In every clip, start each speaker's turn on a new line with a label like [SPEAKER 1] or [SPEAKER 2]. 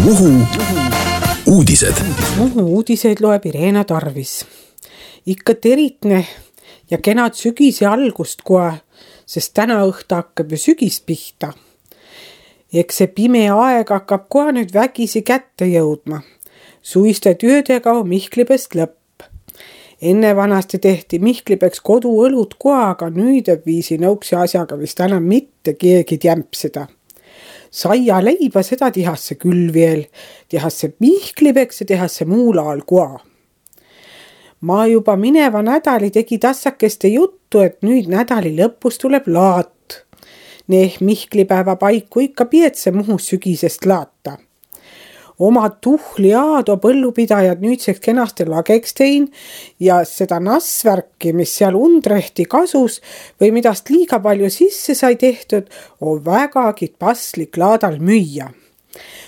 [SPEAKER 1] Muhu uudised.
[SPEAKER 2] Muhu uudiseid loeb Irena Tarvis. Ikka teritne ja kenad sügise algust kohe, sest täna õhta hakkab ju sügis pihta. Eks see pime aeg hakkab kohe nüüd vägisi kätte jõudma. Suiste töödega on Mihklipest lõpp. Enne vanasti tehti Mihklipeks koduõlut kohe, aga nüüd viisi nõuksi asjaga vist enam mitte keegi jämpsida. Saia leiba seda tihasse küll veel, tihasse Mihklipeks ja tihasse muul ajal koa. Ma juba mineva nädali tegi tassakeste juttu, et nüüd nädali lõpus tuleb laat. Neeh Mihklipäeva paiku ikka pietse Muhu sügisest laata. Oma tuhli aado põllupidajad nüüdseks kenasti lageks tein ja seda nassvärki, mis seal undrehti kasus või midast liiga palju sisse sai tehtud, on vägagi paslik laadal müüa.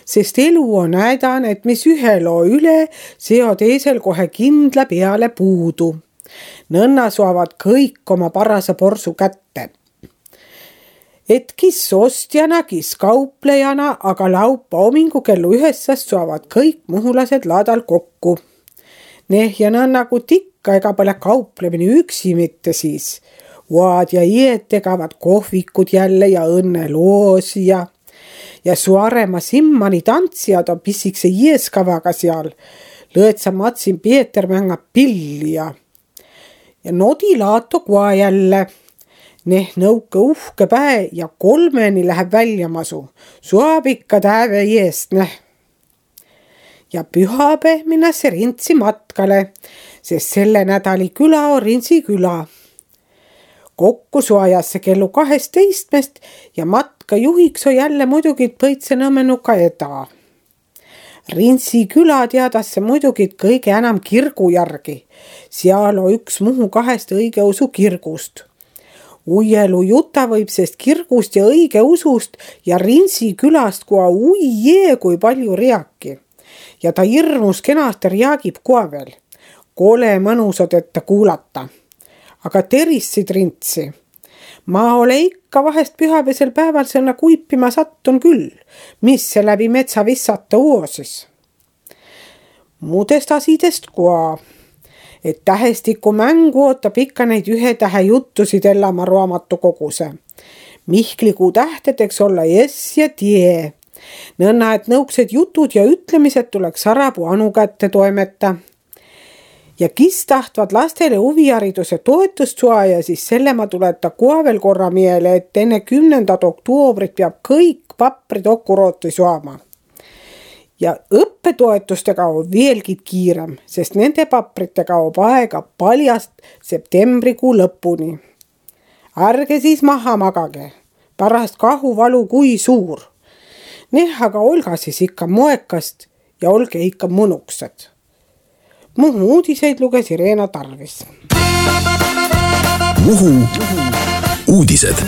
[SPEAKER 2] Sest elu on näidan, et mis ühe loo üle, see on teisel kohe kindla peale puudu. Nõnna suavad kõik oma parasa porsu kätte. Et kis ostjana, kis kauplejana, aga laupa homingu kellu 9 suavad kõik muhulased laadal kokku. Ja nõnnagu tikka ega pole kauplemine üksi mitte siis. Uad ja ied tegavad kohvikud jälle ja õnneloosi ja suarema simmani tantsijad on pissikse ieskavaga seal. Lõõtsa matsin Pieter mängab pilli ja nodilaato koa jälle. Nõuke uhke päe ja 3 läheb välja masu. Suab ikka täve eest, Ja pühapäev minnasse Rintsi matkale, sest selle nädali küla on Rintsi küla. Kokku suajasse kellu 12 ja matka juhiks on jälle muidugi Põitsenõmmenuka eda. Rintsi küla teadasse muidugi kõige enam kirgu järgi. Seal on üks Muhu 2 õigeusu kirgust. Uielu juta võib sest kirgust ja õige usust ja Rintsi külast koa kui palju riaki. Ja ta hirmus kenasti riagib koa veel. Kole mõnusad, et ta kuulata. Aga terissid Rintsi. Ma ole ikka vahest pühapäevasel päeval sõna kuipima sattun küll, mis see läbi metsa vissata uusis. Muudest asidest koa. Et tähestiku mängu ootab ikka neid 1 tähe juttusid Ellama raamatu koguse. Mihklikuu tähtedeks olla jess ja tie. Nõnna, et nõuksed jutud ja ütlemised tuleks Sarapuu Anu kätte toimeta. Ja kis tahtvad lastele huvihariduse toetust suaja, siis selle ma tuleta kohe veel korra miele, et enne 10. oktoobrit peab kõik paprid okurooti suama. Ja õppetoetustega on veelgi kiirem, sest nende papritega on aega paljast septembrikuu lõpuni. Ärge siis maha magage, pärast kahuvalu kui suur. Aga olga siis ikka moekast ja olge ikka mõnuksed. Muhu uudiseid luges Irena Tarvis.
[SPEAKER 1] Muhu uudised.